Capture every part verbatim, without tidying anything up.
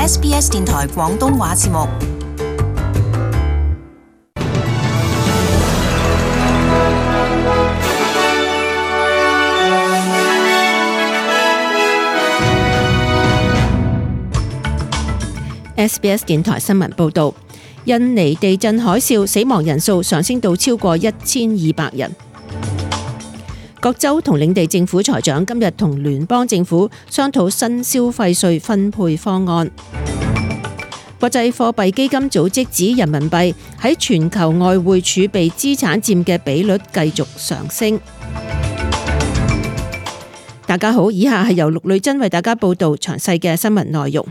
S B S 電台廣東話節目。S B S 電台新聞報道，印尼地震海嘯死亡人數上升到超過一千二百人。各州同領地政府財長今日同聯邦政府商討新消費稅分配方案。國際貨幣基金組織指人民幣喺全球外匯儲備資產佔嘅比率繼續上升。大家好，以下係由陸女珍為大家報道詳細嘅新聞內容。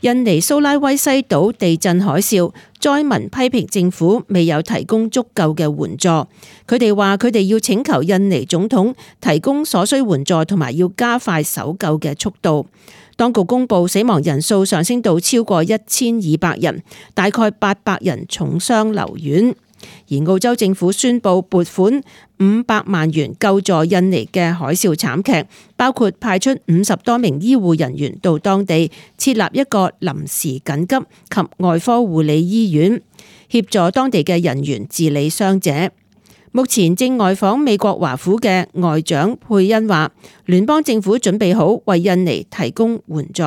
印尼蘇拉威西島地震海嘯，災民批評政府未有提供足夠嘅援助。佢哋話佢哋要請求印尼總統提供所需援助，同埋要加快搜救嘅速度。當局公布死亡人數上升到超過一千二百人，大概八百人重傷留院。而澳洲政府宣布撥款五百萬元救助印尼嘅海嘯慘劇，包括派出五十多名醫護人員到當地設立一個臨時緊急及外科護理醫院，協助當地嘅人員治理傷者。目前正外訪美國華府嘅外長佩恩話，聯邦政府準備好為印尼提供援助。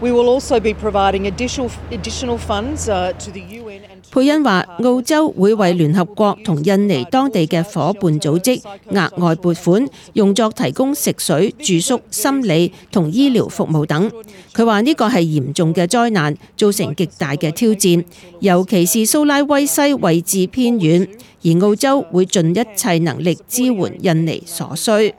We will also be providing additional additional funds to the U N. 佩恩話，澳洲會為聯合國同印尼當地嘅夥伴組織額外撥款，用作提供食水、住宿、心理同醫療服務等。佢話呢個係嚴重嘅災難，造成極大嘅挑戰，尤其是蘇拉威西位置偏遠，而澳洲會盡一切能力支援印尼所需。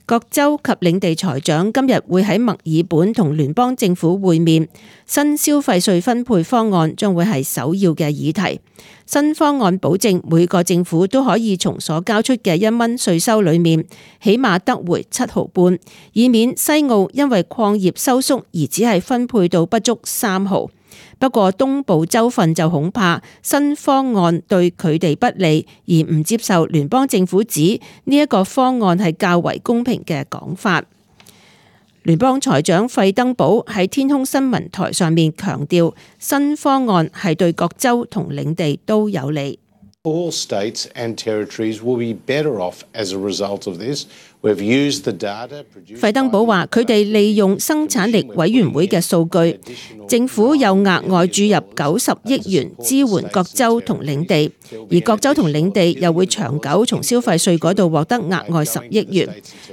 各州及領地財長今日會喺墨爾本同聯邦政府會面，新消費稅分配方案將會係首要嘅議題。新方案保證每個政府都可以從所交出嘅一蚊稅收裏面，起碼得回七毫半，以免西澳因為礦業收縮而只係分配到不足三毫。不過東部州份就恐怕新方案對佢哋不利，而唔接受聯邦政府指呢一個方案係較為公平嘅講法。聯邦財長費登堡喺天空新聞台上面強調，新方案係對各州同領地都有利。All states and territories will be better off as a result of this. We've used the data produced. 費登堡話：佢哋利用生產力委員會嘅數據，政府有額外注入九十億元支援各州同領地，而各州同領地又會長久從消費稅嗰度獲得額外十億元。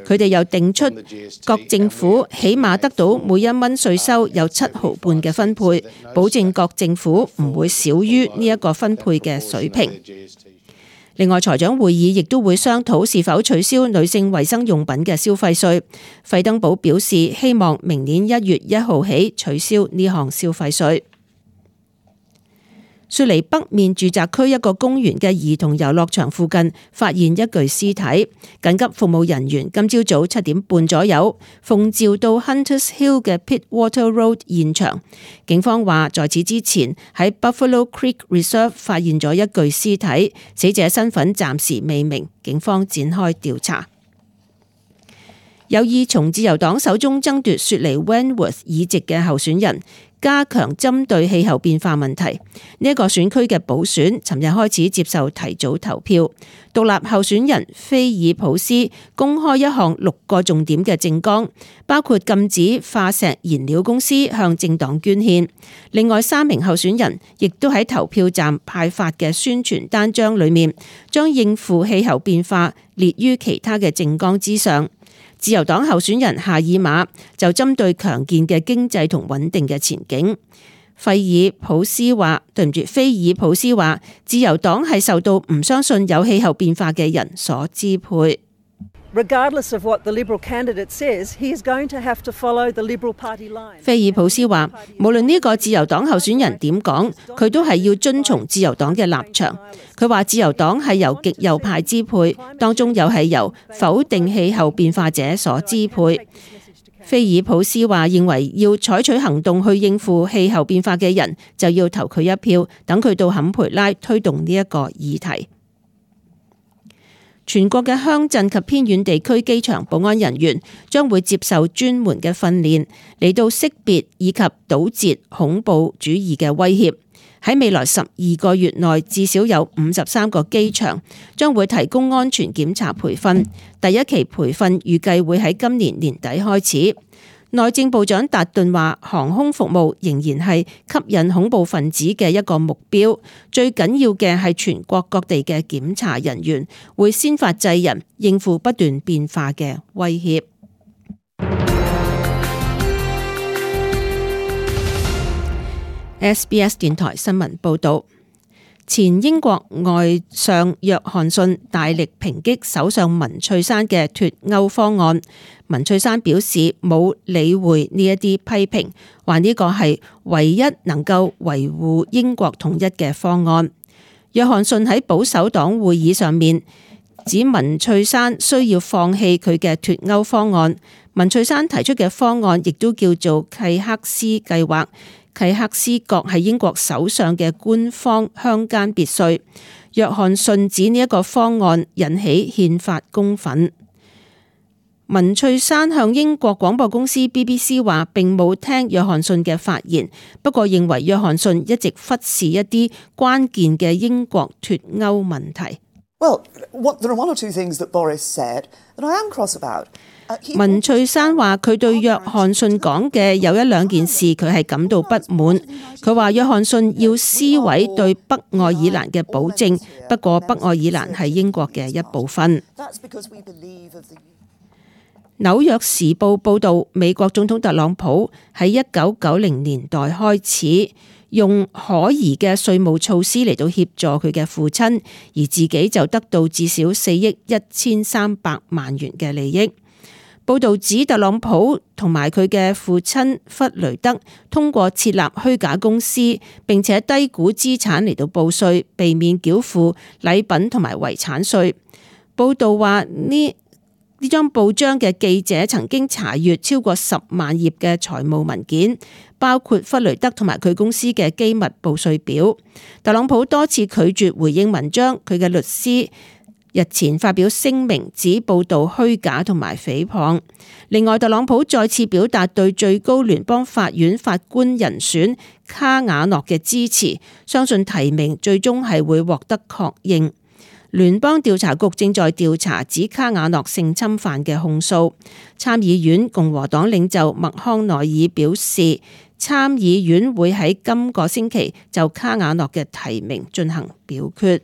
佢哋又定出各政府起碼得到每一蚊稅收有七毫半嘅分配，保證各政府唔會少於呢一個分配嘅水平。另外，財長會議亦都會商討是否取消女性衛生用品嘅消費稅。費登堡表示，希望明年一月一號起取消呢項消費稅。雪梨北面住宅區一個公園嘅兒童遊樂場附近發現一具屍體，緊急服務人員今朝早七點半左右奉召到 Hunters Hill 嘅 Pittwater Road 現場。警方話，在此之前喺 Buffalo Creek Reserve 發現咗一具屍體，死者身份暫時未明，警方展開調查。有意從自由黨手中爭奪雪梨 Wentworth 議席嘅候選人，加強針對氣候變化問題。呢一個選區嘅補選尋日開始接受提早投票。獨立候選人菲爾普斯公開一項六個重點嘅政綱，包括禁止化石燃料公司向政黨捐獻。另外三名候選人亦都喺投票站派發嘅宣傳單張裏面，將應付氣候變化列於其他嘅政綱之上。自由黨候選人夏爾馬就針對強健嘅經濟同穩定嘅前景。費爾普斯話：對唔住，菲爾普斯話，自由黨係受到唔相信有氣候變化嘅人所支配。Regardless of what the Liberal candidate says, he is going to have to follow the Liberal Party line. 菲爾普斯話：無論呢個自由黨候選人點講，佢都係要遵從自由黨嘅立場。佢話自由黨係由極右派支配，當中又係由否定氣候變化者所支配。菲爾普斯話：認為要採取行動去應付氣候變化嘅人，就要投佢一票，等佢到坎培拉推動呢一個議題。全國嘅鄉鎮及偏遠地區機場保安人員將會接受專門嘅訓練，嚟到識別以及堵截恐怖主義嘅威脅。喺未來十二個月內，至少有五十三個機場將會提供安全檢查培訓。第一期培訓預計會喺今年年底開始。內政部長達頓話，航空服務仍然係吸引恐怖分子嘅一個目標，最緊要嘅係全國各地嘅檢查人員會先發制人，應付不斷變化嘅威脅。S B S 電台新聞報道，前英國外相約翰遜大力抨擊首相文翠珊嘅脫歐方案。文翠珊表示冇理會呢一啲批評，話呢個係唯一能夠維護英國統一嘅方案。約翰遜喺保守黨會議上面指文翠珊需要放棄佢嘅脫歐方案。文翠珊提出嘅方案亦都叫做契克斯計劃。契克斯閣係英國首相嘅官方鄉間別墅。約翰遜指呢一個方案引起憲法公憤。文翠珊向英國廣播公司 B B C 話並冇聽約翰遜嘅發言，不過認為約翰遜一直忽視一啲關鍵嘅英國脫歐問題。Well, what, there are one or two things that Boris said that I am cross about. 文翠珊話佢對約翰遜講嘅有一兩件事佢係感到不滿。佢話約翰遜要撕毀對北愛爾蘭嘅保證，不過北愛爾蘭係英國嘅一部分。紐約時報報導，美國總統特朗普喺一九九零年代開始用可疑嘅稅務措施嚟到協助佢嘅父親，而自己就得到至少四億一千三百萬元嘅利益。報導指特朗普同埋佢嘅父親弗雷德通過設立虛假公司，並且低估資產嚟到報稅，避免繳付禮品同埋遺產稅。報導話呢呢張報章嘅記者曾經查閱超過十萬頁嘅財務文件，包括弗雷德同埋佢公司嘅機密報稅表。特朗普多次拒絕回應文章，佢嘅律師日前發表聲明指報道虛假同埋誹謗。另外，特朗普再次表達對最高聯邦法院法官人選卡瓦諾嘅支持，相信提名最終係會獲得確認。聯邦調查局正在調查指卡瓦諾性侵犯嘅控訴。參議院共和黨領袖麥康奈爾表示，參議院會喺今個星期就卡瓦諾嘅提名進行表決。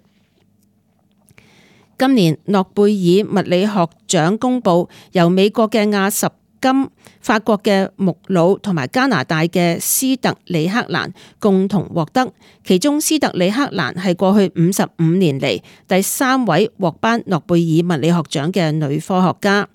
今年諾貝爾物理學獎公佈，由美國嘅亞什金、法國嘅穆魯同埋加拿大嘅斯特里克蘭共同獲得，其中斯特里克蘭係過去五十五年嚟第三位獲頒諾貝爾物理學獎嘅女科學家。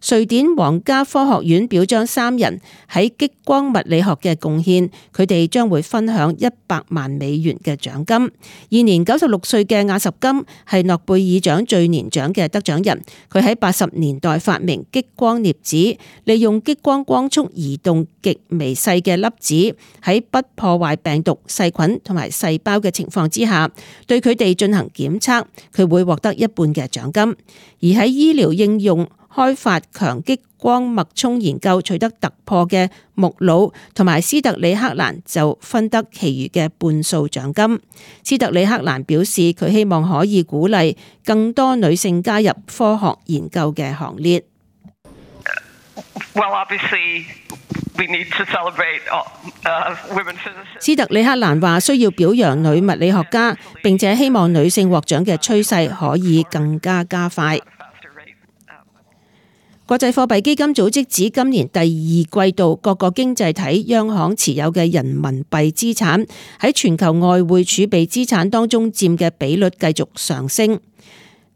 瑞典皇家科學院表彰三人喺激光物理學嘅貢獻，佢哋將會分享一百萬美元嘅獎金。現年九十六歲嘅亞什金係諾貝爾獎最年長嘅得獎人，佢喺八十年代發明激光鑷子，利用激光光速移動極微細嘅粒子，喺不破壞病毒、細菌同埋細胞嘅情況之下，對佢哋進行檢測，佢會獲得一半嘅獎金。而喺醫療應用開發強激光脈衝研究取得突破嘅穆魯同埋斯特里克蘭就分得其餘嘅半數獎金。斯特里克蘭表示，佢希望可以鼓勵更多女性加入科學研究嘅行列。Well, obviously, we need to celebrate, uh, women physicists. 斯特里克蘭話需要表揚女物理學家，並且希望女性獲獎嘅趨勢可以更加加快。國際貨幣基金組織指，今年第二季度各個經濟體央行持有嘅人民幣資產喺全球外匯儲備資產當中佔嘅比率繼續上升，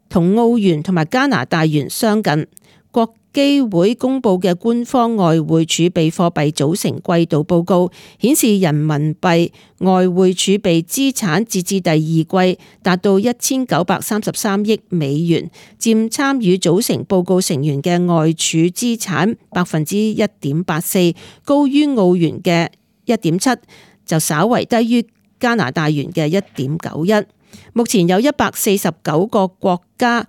同澳元同埋加拿大元相近。國基會公佈嘅官方外匯儲備貨幣組成季度報告顯示，人民幣外匯儲備資產截至第二季達到一千九百三十三億美元，佔參與組成報告成員嘅外儲資產百分之一點八四，高於澳元嘅一點七，就稍為低於加拿大元嘅一點九一。目前有一百四十九個國家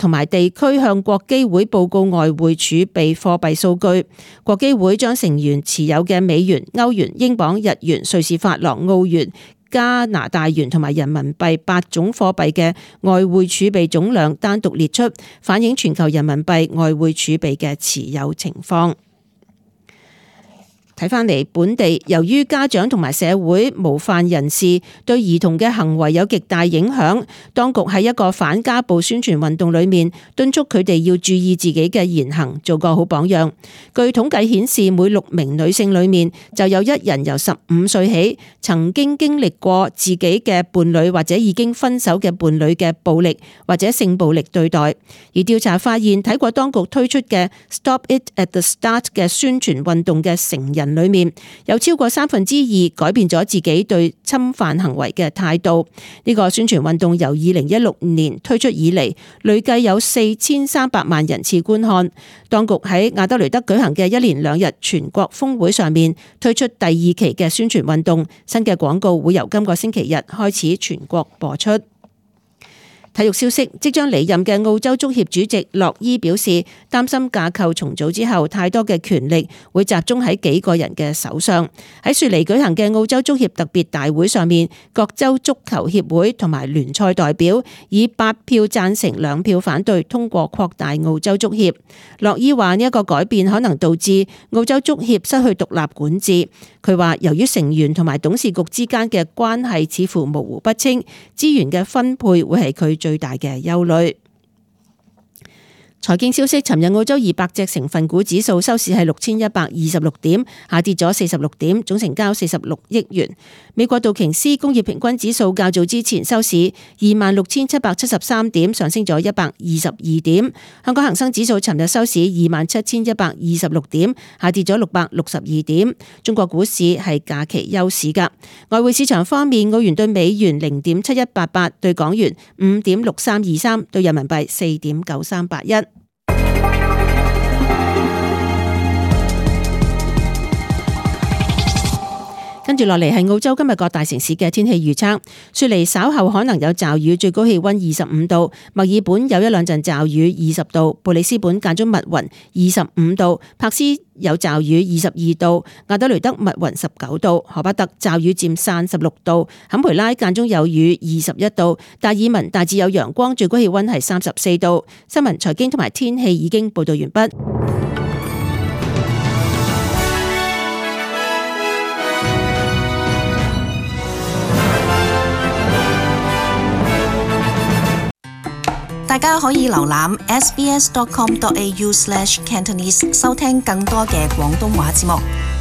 同埋地區向國基會報告外匯儲備貨幣數據。國基會將成員持有嘅美元、歐元、英鎊、日元、瑞士法郎、澳元、加拿大元同埋人民幣八種貨幣嘅外匯儲備總量單獨列出，反映全球人民幣外匯儲備嘅持有情況。睇返嚟本地，由於家長同埋社會模範人士對兒童嘅行為有極大影響，當局喺一個反家暴宣傳運動裏面敦促佢哋要注意自己嘅言行，做個好榜樣。據統計顯示，每六名女性裏面就有一人由十五歲起曾經經歷過自己嘅伴侶或者已經分手嘅伴侶嘅暴力或者性暴力對待。而調查發現，睇過當局推出嘅 Stop It at the Start 嘅宣傳運動嘅成人裏面，有超過三分之二改變咗自己對侵犯行為嘅態度。呢個宣傳運動由二零一六年推出以嚟，累計有四千三百萬人次觀看。當局喺亞德雷德舉行嘅一連兩日全國峰會上面推出第二期嘅宣傳運動，新嘅廣告會由今個星期日開始全國播出。體育消息，即將離任嘅澳洲足協主席洛伊表示，擔心架構重組之後太多嘅權力會集中喺幾個人嘅手上。喺雪梨舉行嘅澳洲足協特別大會上面，各州足球協會同埋聯賽代表以八票贊成兩票反對通過擴大澳洲足協。洛伊話呢一個改變可能導致澳洲足協失去獨立管治。佢話由於成員同埋董事局之間嘅關係似乎模糊不清，資源嘅分配會係佢最大嘅憂慮。財經消息，尋日澳洲二百隻成分股指數收市係六千一百二十六點，下跌咗四十六點，總成交四十六億元。美國道瓊斯工業平均指數較早之前收市二萬六千七百七十三點，上升咗一百二十二點。香港恒生指數尋日收市二萬七千一百二十六點，下跌咗六百六十二點。中國股市係假期休市噶。外匯市場方面，澳元對美元零點七一八八，對港元五點六三二三，對人民幣四點九三八一。跟住落嚟係澳洲今日各大城市嘅天氣預測。雪梨稍後可能有驟雨，最高氣溫二十五度；墨爾本有一兩陣驟雨，二十度；布里斯本間中密雲，二十五度；柏斯有驟雨，二十二度；亞德雷德密雲，十九度；荷巴特驟雨漸散，十六度；坎培拉間中有雨，二十一度；達爾文大致有陽光，最高氣溫係三十四度。新聞、財經同埋天氣已經報道完畢。大家可以瀏覽 s b s dot com dot a u slash cantonese 收聽更多嘅廣東話節目。